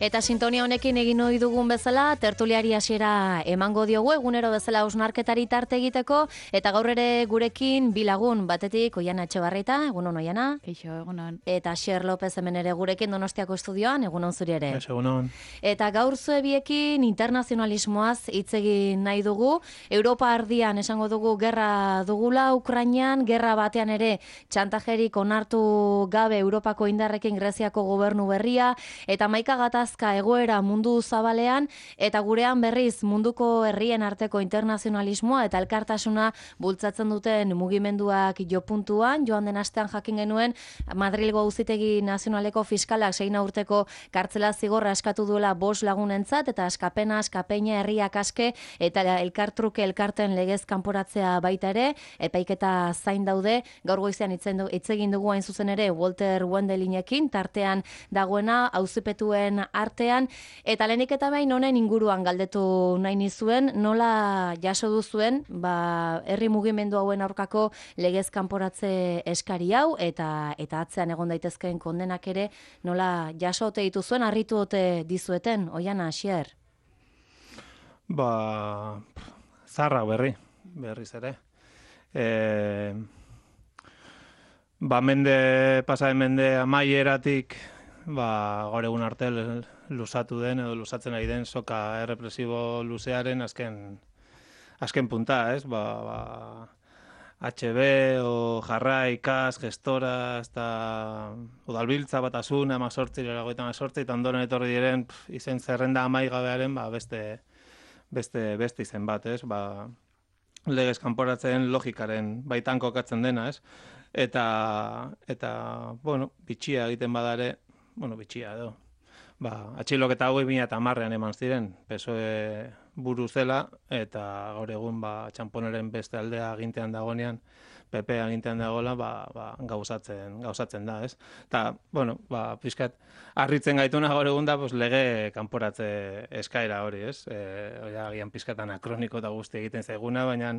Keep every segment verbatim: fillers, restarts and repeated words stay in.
Eta sintonia honekin egin ohi dugun bezala, tertuliari hasiera emango diogu egunero bezala hausnarketari tarte egiteko, eta gaur ere gurekin bi lagun, batetik Oiana Etxebarrieta, egunon Oiana. Kaixo, egunon. Eta Xer López hemen ere gurekin Donostiako estudioan, egunon zuri ere. Ez, egunon. Eta gaur zuebiekin internazionalismoaz hitz egin nahi dugu, Europa ardian esango dugu gerra dugula, Ukrainian, gerra batean ere txantajerik onartu gabe Europako indarrekin Greziako gobernu berria, eta maika gatazka egoera mundu zabalean, eta gurean berriz munduko herrien arteko internazionalismoa eta elkartasuna bultzatzen duten mugimenduak jopuntuan. Joan den astean jakin genuen Madrilgo Auzitegi Nazionaleko fiskalak seina urteko kartzela zigorra eskatu duela bost lagunentzat, eta askapena, askapeina, herriak aske eta elkartruke elkarten legez kanporatzea baita ere, epaiketa zain daude. Gaur goizean hitz egin dugu hain zuzen ere Walter Wendelinekin, tartean dagoena auzipetuen artean, eta lehenik eta behin honen inguruan galdetu nahi nizuen, nola jaso duzuen, ba, herri mugimendu hauen aurkako legez kanporatze eskari hau, eta eta atzean egon daitezkeen kondenak ere, nola jaso ote dituzuen, harritu ote dizueten, Oiana, Xier? Ba, zarra berri, berriz ere. E, ba, mende, pasaren mende amaieratik, ba, gaur egun arte lusatu den edo lusatzen ari den soka errepresibo luzearen azken azken punta, ez? Ba, ba, H B o Jarrai, Kas, Gestora, eta Udalbiltza, Batasuna, Amazortzi, Leragoetan Amazortzi, eta ondoren etorri diren pf, izen zerrenda amaigabearen ba, beste, beste, beste izen bat, ez? Ba, legez kanporatzen logikaren baitan kokatzen dena, ez? Eta, eta bueno, bitxia egiten badare, bueno, bitxia edo. Ba, atxiloketa hauek bi mila hamarrean eman ziren, P S O E buru zela, eta gaur egun ba, txamponeren beste aldea agintean dagoenean, P P agintean dagoela, ba, ba, gauzatzen, gauzatzen da, ez? Eta, bueno, ba, pixkat, harritzen gaituna gaur egun da, pues, lege kanporatze eskaera hori, ez? E, Oia, agian pixkat anakroniko eta guzti egiten zaiguna, baina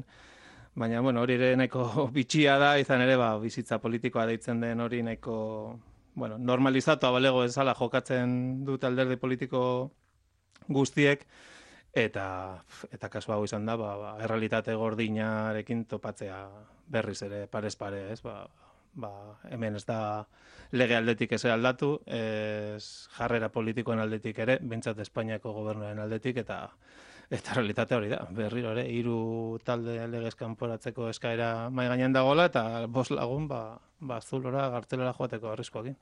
Baina, bueno, hori ere nahiko bitxia da, izan ere, ba, bizitza politikoa deitzen den hori nahiko, bueno, normalizatu abalego ezala jokatzen dut alderdi politiko guztiek, eta, eta kasu hau izan da, ba, ba, errealitate gordinarekin topatzea berriz ere parez pare, ez? Ba, ba, hemen ez da lege aldetik ez aldatu, ez jarrera politikoen aldetik ere, behintzat Espainiako gobernuaren aldetik, eta Eta realitate hori da, berriro ere, hiru talde legez kanporatzeko eskaera mai gainean dagoela, eta bost lagun, ba, ba zulora, gartzelera joateko arriskoekin.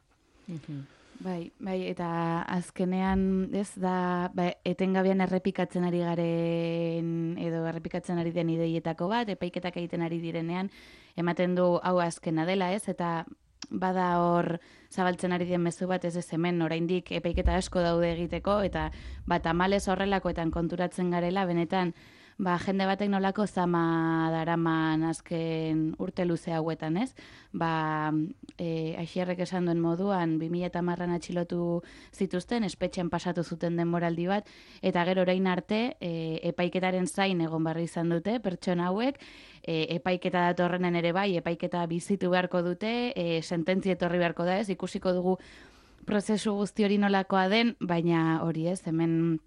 Bai, bai, eta azkenean, ez da, ba, etengabean errepikatzen ari garen, edo errepikatzen ari den ideietako bat, epaiketak egiten ari direnean, ematen du hau azkena dela, ez, eta bada hor zabaltzen ari den mezu bat, ez ez hemen oraindik epaiketa asko daude egiteko, eta bat tamalez horrelakoetan konturatzen garela, benetan, ba, jende batek nolako zama daraman azken urte luze hauetan, ez? Ba, e, Aixierrek esan duen moduan, bi mila hamarran atxilotu zituzten, espetxean pasatu zuten denboraldi bat, eta gero orain arte, e, epaiketaren zain egon barri izan dute, pertsona hauek, e, epaiketa datorrenen ere bai, epaiketa bizitu beharko dute, e, sententzia etorri beharko da, ez? Ikusiko dugu prozesu guzti hori nolakoa den, baina hori ez, hemen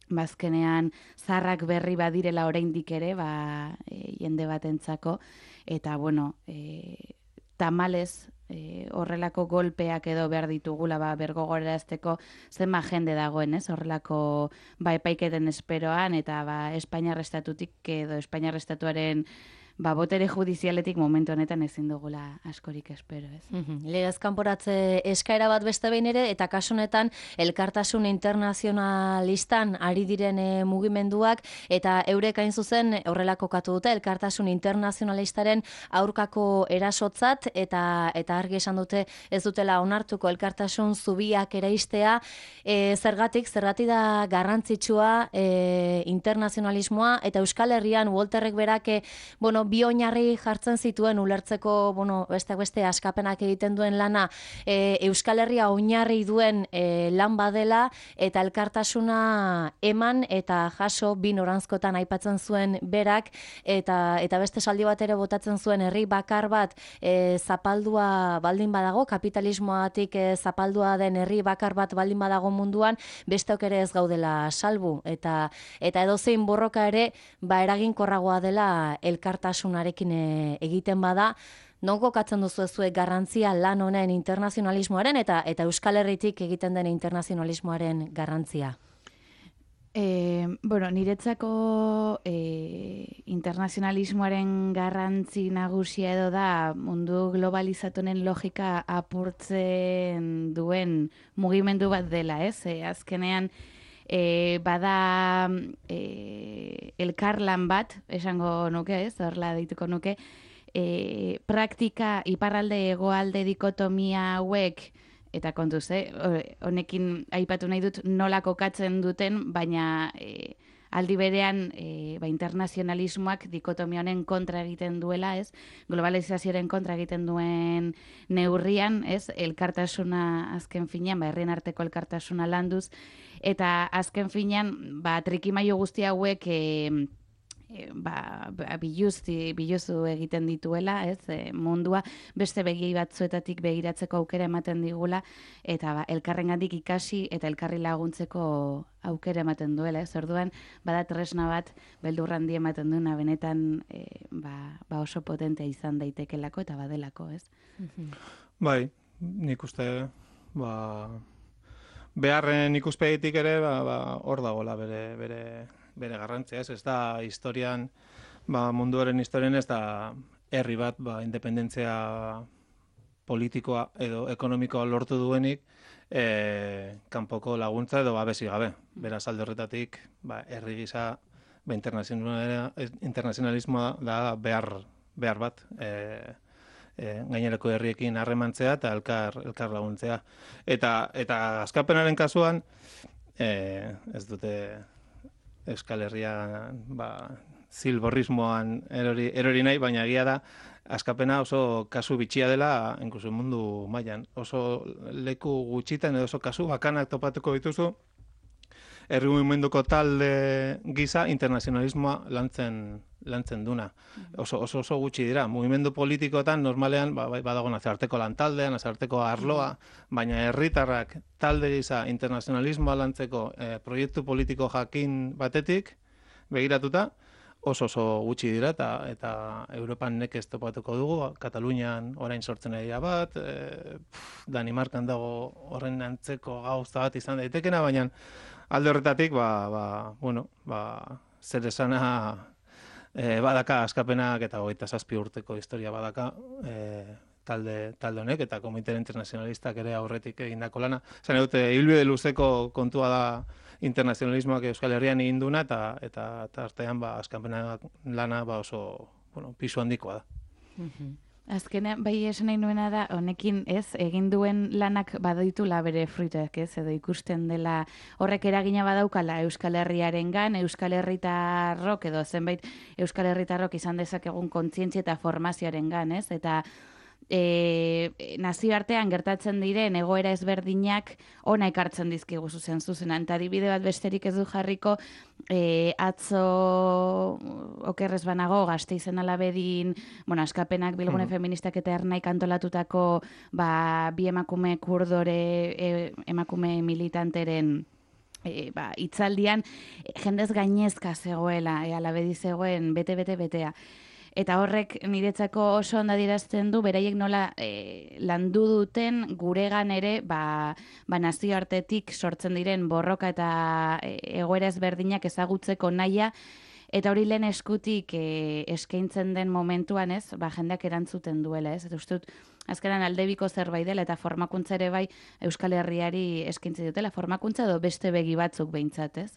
bazkenean zarrak berri badirela oraindik ere, ba, e, jende batentzako, eta bueno, e, tamalez e, horrelako golpeak edo behar ditugula, ba, bergogorazteko zenba jende dagoen, ez? Horrelako ba, epaiketen esperoan, eta ba, Espainiar estatutik edo Espainiar estatuaren ba, botere judizialetik momentu honetan ezin dugula askorik espero, ez? Mm-hmm. Legez kanporatze eskaera bat beste behin ere, eta kasu honetan elkartasun internazionalistan ari diren e, mugimenduak, eta eurek hain zuzen horrelako katu dute, elkartasun internazionalistaren aurkako erasotzat, eta eta argi esan dute ez dutela onartuko elkartasun zubiak eraistea, e, zergatik, zergatik da garrantzitsua e, internazionalismoa, eta Euskal Herrian Walterrek berak, e, bueno, bi oinarri jartzen zituen ulertzeko, bueno, beste beste askapenak egiten duen lana, e, Euskal Herria oinarri duen e, lan badela, eta elkartasuna eman eta jaso bi noranzkotan aipatzen zuen berak, eta eta beste saldi bat ere botatzen zuen herri bakar bat e, zapaldua baldin badago, kapitalismoatik e, zapaldua den herri bakar bat baldin badago munduan, besteok ere ez gaudela salbu, eta eta edozein borroka ere ba eraginkorragoa dela elkartasunarekin e, egiten bada. Non kokatzen duzu zuek garrantzia lan honen internazionalismoaren eta eta Euskal Herritik egiten den internazionalismoaren garrantzia? E, bueno, niretzako e, internazionalismoaren garrantzi nagusia edo da mundu globalizatunen logika apurtzen duen mugimendu bat dela, ez? E, azkenean, e, bada e, elkarlan bat, esango nuke, ez? Horla dituko nuke, e, praktika iparralde egoalde dikotomia hauek, eta kontuz, eh? Honekin aipatu nahi dut nola kokatzen duten, baina e, aldi berean e, ba, internazionalismoak dikotomia honen kontra egiten duela, ez? Globalizazioaren kontra egiten duen neurrian, ez? Elkartasuna azken finean, ba, herrien arteko elkartasuna landuz, eta azken finean, ba, trikimaio guzti hauek e, E, ba, biluzti, biluzu egiten dituela, ez, e, mundua beste begi batzuetatik begiratzeko aukera ematen digula, eta ba, elkarrengandik ikasi eta elkarri laguntzeko aukera ematen duela, ez, orduan, bada tresna bat beldur handi ematen duena benetan e, ba, ba oso potentea izan daitekelako eta badelako, ez. Bai, nik uste, ba, beharren ikuspegitik ere, ba, ba, hor dagoela bere, bere, bere garrantzia, ez, ez da historian, ba, munduaren historian ez da herri bat, ba, independentzia politikoa edo ekonomikoa lortu duenik, e, kanpoko laguntza edo babesi gabe. Beraz alde horretatik, ba, herri gisa, ba, internazionalismoa da behar, behar bat, e, e, gainerako herriekin harremantzea eta elkar, elkar laguntzea. Eta, eta askapenaren kasuan, e, ez dute Euskal Herria ba, zilborrismoan erori, erori nahi, baina egia da, askapena oso kasu bitxia dela, inkluso mundu mailan. Oso leku gutxitan edo oso kasu bakanak topatuko dituzu, herri mugimenduko talde gisa internazionalismoa lantzen, lantzen duna. Oso, oso, oso gutxi dira. Mugimendu politikoetan normalean ba, badago nazarteko lantaldean, nazarteko arloa, baina herritarrak talde gisa internazionalismoa lantzeko eh, proiektu politiko jakin batetik begiratuta, oso oso gutxi dira eta eta Europan nekez topatuko dugu, Katalunian orain sortzen ari da bat, e, Danimarkan dago horren antzeko gauza bat izan daitekena, baina alde horretatik, ba, ba, bueno, ba, zer esana e, badaka askapenak eta hogeita zazpi urteko historia badaka e, talde, talde honek eta komitera internazionalistak ere aurretik egindako lana. Zan dute, ibilbide luzeko kontua da internazionalismoak Euskal Herrian egin duna eta eta artean ba, askapenak lana ba, oso bueno, pisu handikoa da. Mm-hmm. Azkenean, bai esan nahi nuena da, honekin ez, egin duen lanak badaitula bere fruitak, ez, edo ikusten dela horrek eragina badaukala Euskal Herriarengan, Euskal Herritarrok edo zenbait Euskal Herritarrok izan dezakegun kontzientzia eta formazioarengan, ez, eta E, nazioartean gertatzen diren egoera ezberdinak ona ekartzen dizkigu zuzen zuzenan. Eta adibide bat besterik ez du jarriko, e, atzo okerrez banago Gasteizen Alabedin, bueno, askapenak bilgune mm. feministak eta ernaik antolatutako ba, bi emakume kurdore e, emakume militanteren E, ba, itzaldian e, jendez gainezka zegoela, e, Alabedi zegoen bete-bete betea. Eta horrek niretzako oso ondo adierazten du, beraiek nola e, landu duten guregan ere ba, ba nazioartetik sortzen diren borroka eta e, egoera ezberdinak ezagutzeko nahia, eta hori lehen eskutik e, eskaintzen den momentuan, ez, ba, jendeak erantzuten duela, ez, eta uste dut, azkenan aldebiko zerbait dela, eta formakuntza ere bai Euskal Herriari eskaintzen dutela, formakuntza edo beste begi batzuk behintzat, ez?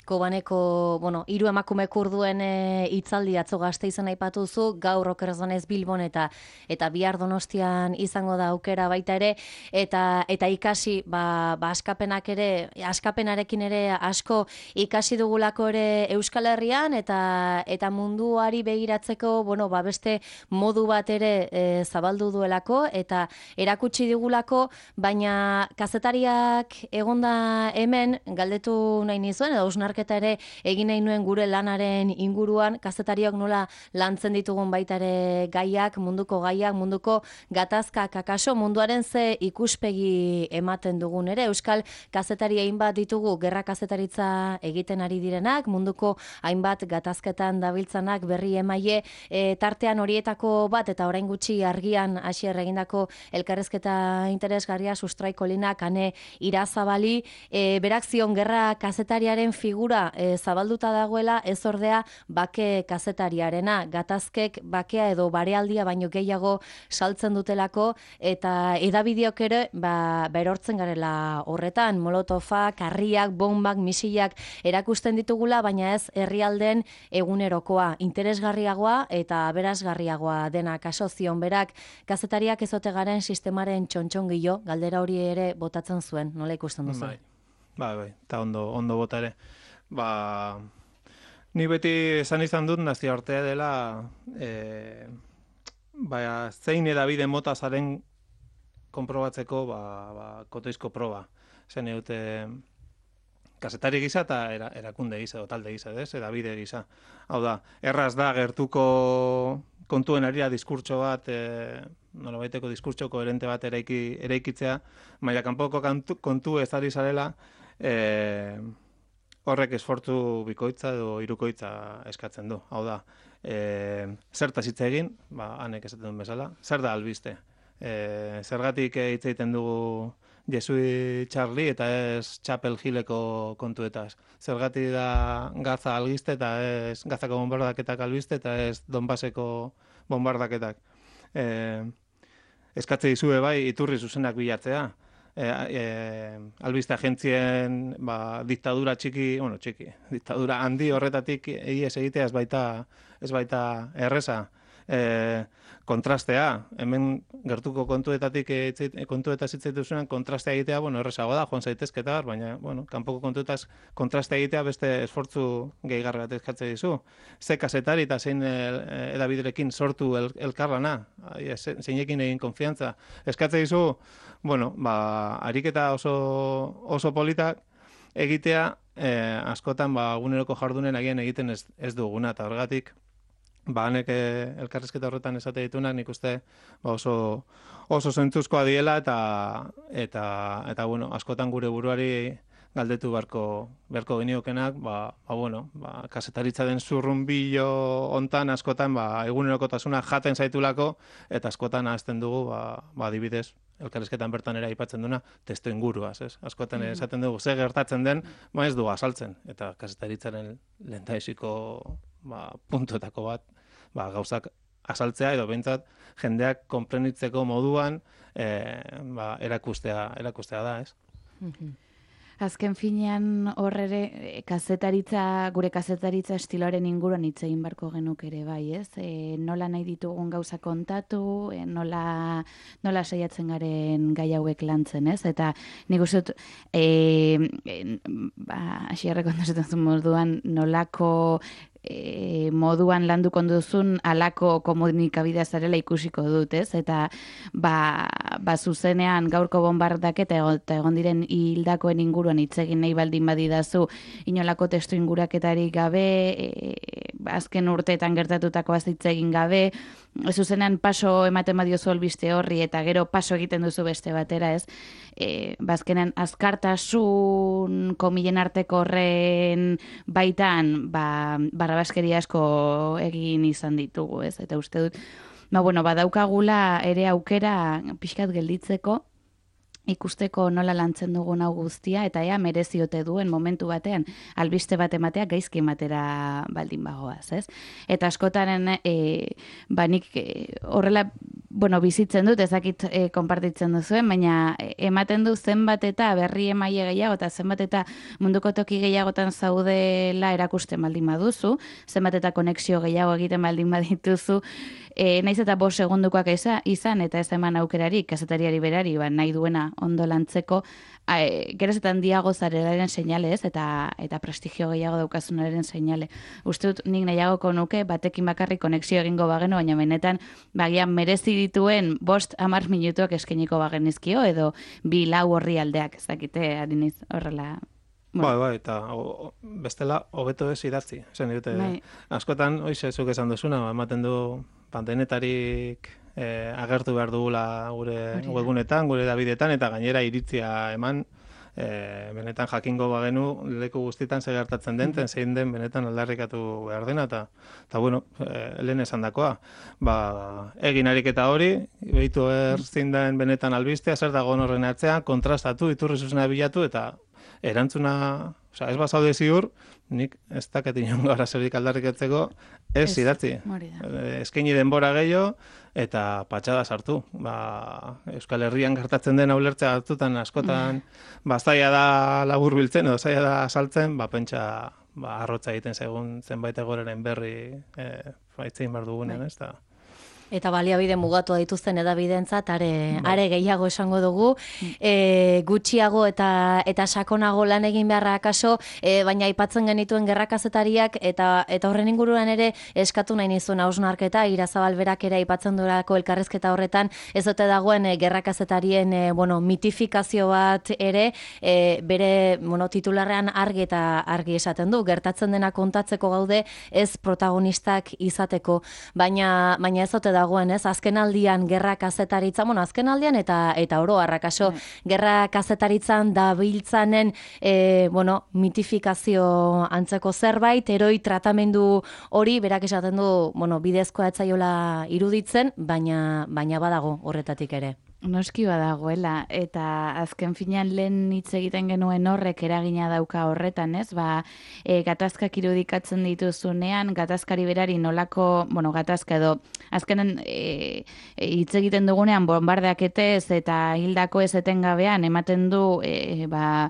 Kobaneko, bueno, hiru emakume kurduen e, hitzaldi atzo Gasteizen aipatuzu, gaur okerzonez Bilbon eta eta bihar Donostian izango da aukera baita ere, eta eta ikasi, ba, ba askapenak ere, askapenarekin ere asko ikasi dugulako ere Euskal Herrian eta eta munduari begiratzeko, bueno, ba beste modu bat ere e, zabaldu duelako eta erakutsi digulako, baina kazetariak egonda hemen galdetu nahi nizuen, edo hausnarketa ere egin nahi nuen gure lanaren inguruan, kazetariok nola lantzen ditugun baita ere gaiak, munduko gaiak, munduko gatazkak, akaso munduaren ze ikuspegi ematen dugun ere. Euskal kazetari hainbat ditugu gerra kazetaritza egiten ari direnak, munduko hainbat gatazketan dabiltzanak berri emaile, e, tartean horietako bat eta orain gutxi argian hasier egindako elkarrezketa interesgarria Sustraiko Linak Ane Irazabali, e, berak zion gerra kazetariaren figura e, zabalduta dagoela, ez ordea bake kazetariarena, gatazkek bakea edo barealdia baino gehiago saltzen dutelako eta edabideok ere ba, berortzen garela horretan, molotofak, harriak, bombak, misilak erakusten ditugula, baina ez herrialden egunerokoa, interesgarriagoa eta aberasgarriagoa dena. Kaso zion berak kazetariak ezote garen sistemaren txontxongillo, galdera hori ere botatzen zuen, nola ikusten duzu? Bai, bai, bai, eta ondo, ondo bota ere. Ba, ni beti esan izan dut nazioartea dela e, ba, zein edabide mota zaren konprobatzeko ba, ba, kotoizko proba. Zen eute kazetari gisa eta era, erakunde gisa, o talde gisa, ez? Edabide gisa. Hau da, erraz da gertuko kontuen arira diskurtso bat, e, nolabaiteko diskurtso koherente bat eraiki, eraikitzea, maila kanpoko kontu, kontu ez ari zarela, e, horrek esfortzu bikoitza edo hirukoitza eskatzen du. Hau da, e, zertaz hitz egin, ba, hanek esaten duen bezala, zer da albiste. E, zergatik hitz egiten dugu Jesui Charlie eta ez Chapel Hilleko kontuetaz. Zergatik da Gaza albiste eta ez Gazako bombardaketak albiste eta ez Donbaseko bombardaketak. E, eskatze dizue bai iturri zuzenak bilatzea. E, e, albiste agentzien ba, diktadura txiki, bueno, txiki, diktadura handi horretatik ihes egitea ez baita, ez baita erreza. E, kontrastea, hemen gertuko kontuetatik kontuetaz hitz egiten kontrastea egitea, bueno, errezago da, joan zaitezketa, baina, bueno, kanpoko kontuetaz kontrastea egitea beste esfortzu gehigarri bat eskatze dizu. Ze kazetari eta zein edabiderekin sortu el, elkarlana, zeinekin egin konfiantza. Eskatze dizu, bueno, ba, ariketa oso, oso politak egitea, eh, askotan, ba, eguneroko jardunen agian egiten ez, ez duguna, eta horregatik, ba, hanek elkarrizketa horretan esate ditunak, nik uste ba, oso, oso zentzuzkoa diela eta, eta, eta bueno, askotan gure buruari galdetu beharko, beharko geniokenak, ba, ba, bueno, ba, kasetaritza den zurrunbillo hontan askotan ba, egunerokotasuna jaten zaitulako eta askotan ahazten dugu, ba, ba, adibidez, elkarrizketan bertan ere aipatzen duna, testu inguruaz, ez? Askotan mm-hmm. esaten dugu, ze gertatzen den, ba ez du azaltzen, eta kazetaritzaren lehendaiziko ba, puntuetako bat, ba, gauzak azaltzea edo behintzat jendeak konprenitzeko moduan e, ba, erakustea, erakustea da, ez? Mm-hmm. Azken finean horrere kazetaritza, gure kazetaritza estiloaren inguruan hitz egin barko genuk ere bai, ez? E, nola nahi ditugun gauza kontatu, e, nola, nola saiatzen garen gai hauek lantzen, ez? Eta nik uste dut, e, e, ba, asierreko ondozetan zuen moduan, nolako E, moduan landu konduzun alako komunikabidea zarela ikusiko dut, ez? Eta ba, ba zuzenean gaurko bombardaketa eta egon diren hildakoen inguruan hitz egin nahi baldin badidazu inolako testu inguraketarik gabe, e, azken urteetan gertatutako hitz egin gabe, zuzenean paso ematen badiozu albiste horri eta gero paso egiten duzu beste batera, ez? E, bazkenean azkartasun komilen arteko horren baitan ba, barrabaskeria asko egin izan ditugu, ez? Eta uste dut, ba, bueno, badaukagula ere aukera pixkat gelditzeko, ikusteko nola lantzen dugun hau guztia, eta ea mereziote duen momentu batean albiste bat ematea gaizki ematera baldin bagoaz, ez? Eta askotaren, e, ba, nik e, horrela bueno, bizitzen dut, ezakit e, konpartitzen duzuen, baina ematen du zenbat eta berri emaile gehiago, eta zenbat eta munduko toki gehiagotan zaudela erakusten baldin baduzu, zenbat eta konexio gehiago egiten baldin badituzu, e, naiz eta bost segundukoak eza, izan, eta ez eman aukerarik, kazetariari berari, ba, nahi duena ondo lantzeko, e, geroz eta handiago zarelaren seinale ez, eta, eta prestigio gehiago daukazunaren seinale. Uste dut nik nahiagoko nuke, batekin bakarrik konexio egingo bagenu, baina benetan, bagian merezi dituen bost hamar minutuak eskeniko bagenizkio, edo bi lau horri aldeak, ez dakite, hariniz horrela. Bueno. Bai, bai, eta o, bestela hobeto ez idatzi. Esan dute, bai. Askotan, oize, zuk esan duzuna, ematen du pantenetarik eh, agertu behar dugula gure webunetan, gure dabidetan, eta gainera iritzia eman, e, benetan jakingo bagenu leku guztietan zer gertatzen den, ten zein den benetan aldarrikatu behar dena, eta, eta bueno, e, lehen esan dakoa, ba, egin ariketa hori, behitu erzin den benetan albistea, zer dago horren atzean, kontrastatu, iturri zuzena bilatu, eta erantzuna, oza, ez bazaude ziur, nik ez daket inongo arazorik aldarrikatzeko, ez idatzi. Eskaini denbora gehiago, eta patxada sartu. Ba, Euskal Herrian gertatzen den ulertzea hartutan askotan ba, zaila da labur biltzen, edo zaila da saltzen, ba, pentsa ba, arrotza egiten zaigun zenbait egoreren berri e, baitzein behar dugunean, ez da. Eta baliabide mugatu dituzten edabidentzat are, are gehiago esango dugu, e, gutxiago eta eta sakonago lan egin beharra akaso, e, baina aipatzen genituen gerrakazetariak eta eta horren inguruan ere eskatu nahi nizun hausnarketa, Irazabal berak ere aipatzen durako elkarrizketa horretan, ez dute dagoen e, gerrakazetarien e, bueno, mitifikazio bat ere, e, bere bueno, titularrean argi eta argi esaten du, gertatzen dena kontatzeko gaude ez protagonistak izateko, baina, baina ez dute dagoen, ez? Azken aldian gerra kazetaritza, bueno, azken aldian eta eta oro harrakaso, mm. gerra kazetaritzan dabiltzanen e, bueno, mitifikazio antzeko zerbait, eroi tratamendu hori, berak esaten du, bueno, bidezkoa etzaiola iruditzen, baina baina badago horretatik ere. Noski badagoela, eta azken finean lehen hitz egiten genuen horrek eragina dauka horretan, ez? Ba, e, gatazkak irudikatzen dituzunean, gatazkari berari nolako, bueno, gatazka edo, azkenen e, e, hitz egiten dugunean bombardeaketez eta hildako ez etengabean ematen du, e, ba,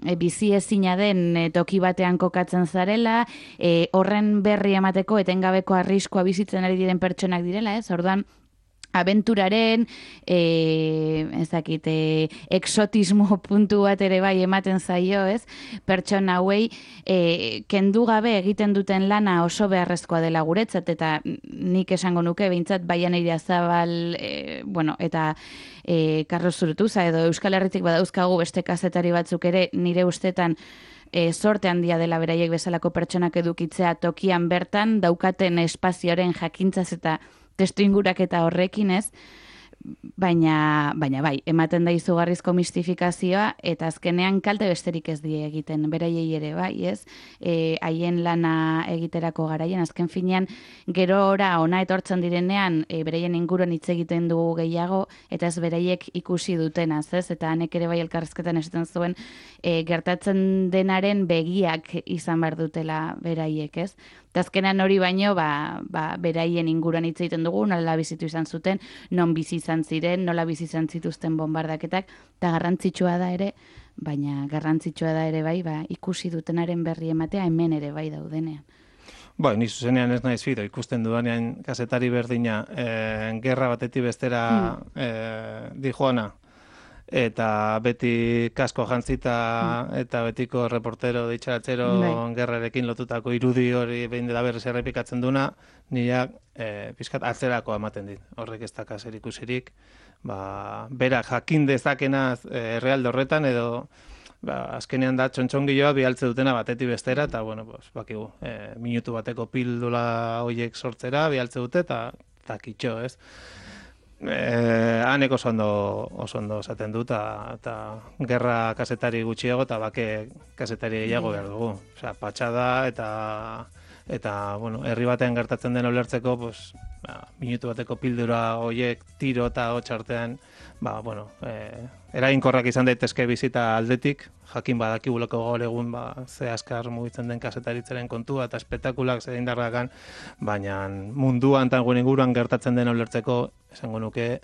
E, bizi ezina den e, toki batean kokatzen zarela, e, horren berri emateko etengabeko arriskua bizitzen ari diren pertsonak direla, ez? Orduan, abenturaren, e, ezakit, e, exotismo puntu bat ere bai ematen zaio, ez? Pertsona hauei, e, kendu gabe egiten duten lana oso beharrezkoa dela guretzat, eta nik esango nuke, behintzat Baian Irazabal, e, bueno, eta e, Carlos Zurutuza, edo Euskal Herritik badauzkagu beste kazetari batzuk ere, nire ustetan, E, sorte handia dela beraiek bezalako pertsonak edukitzea tokian bertan, daukaten espazioaren jakintzaz eta testuingurak eta horrekin ez, baina, baina bai, ematen da izugarrizko mistifikazioa, eta azkenean kalte besterik ez die egiten, beraiei ere bai, ez? E, haien lana egiterako garaien, azken finean, gero ora ona etortzen direnean, e, beraien inguruan hitz egiten dugu gehiago, eta ez beraiek ikusi dutenaz, ez? Eta hanek ere bai elkarrizketan esaten zuen, e, gertatzen denaren begiak izan behar dutela beraiek, ez? Eta azkenean hori baino, ba, ba, beraien inguruan hitz egiten dugu, nola bizitu izan zuten, non bizi izan ziren, nola bizi izan zituzten bombardaketak, eta garrantzitsua da ere, baina garrantzitsua da ere bai, ba, ikusi dutenaren berri ematea hemen ere bai daudenean. Ba, ni zuzenean ez naiz fito, ikusten dudanean kazetari berdina, eh, gerra batetik bestera hmm. eh, dijoana, eta beti kasko jantzita mm. eta betiko reportero ditxaratzero bai. Gerrarekin lotutako irudi hori behin dela berriz errepikatzen duna, nireak e, pizkat atzerako ematen dit. Horrek ez daka zer ikusirik, ba, berak jakin dezakenaz e, errealde horretan edo ba, azkenean da txontxongiloa bialtze dutena batetik bestera, eta bueno, pues, bakigu, e, minutu bateko pildula horiek sortzera bialtze dute, eta takitxo, ez? Eh, hanek oso ondo, oso ondo esaten dut, eta gerra kazetari gutxiago eta bake kazetari gehiago behar dugu. Osea, patxada eta eta, bueno, herri batean gertatzen den ulertzeko, pues, ba, minutu bateko pildura hoiek tiro eta hots artean, ba, bueno, eh, eraginkorrak izan daitezke bizita aldetik, jakin badakigulako gaur egun ba, ze askar mugitzen den kazetaritzaren kontua eta espektakulak zer indarrakan, baina munduan eta gure inguruan gertatzen den ulertzeko, esango nuke,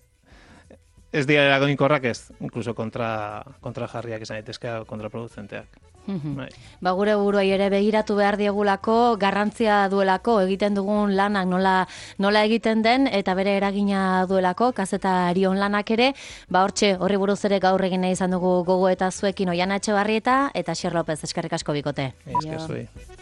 ez dira eraginkorrak ez, incluso kontra, kontra jarriak izan daitezke kontraproduzenteak. Bai. Ba, gure buruai ere begiratu behar diegulako, garrantzia duelako, egiten dugun lanak nola, nola egiten den, eta bere eragina duelako, kazetarion lanak ere, ba, hortxe, horri buruz ere gaur egin nahi izan dugu gogo eta zuekin Oiana Etxebarrieta eta Xer López, eskerrik asko bikote. Esker zuei.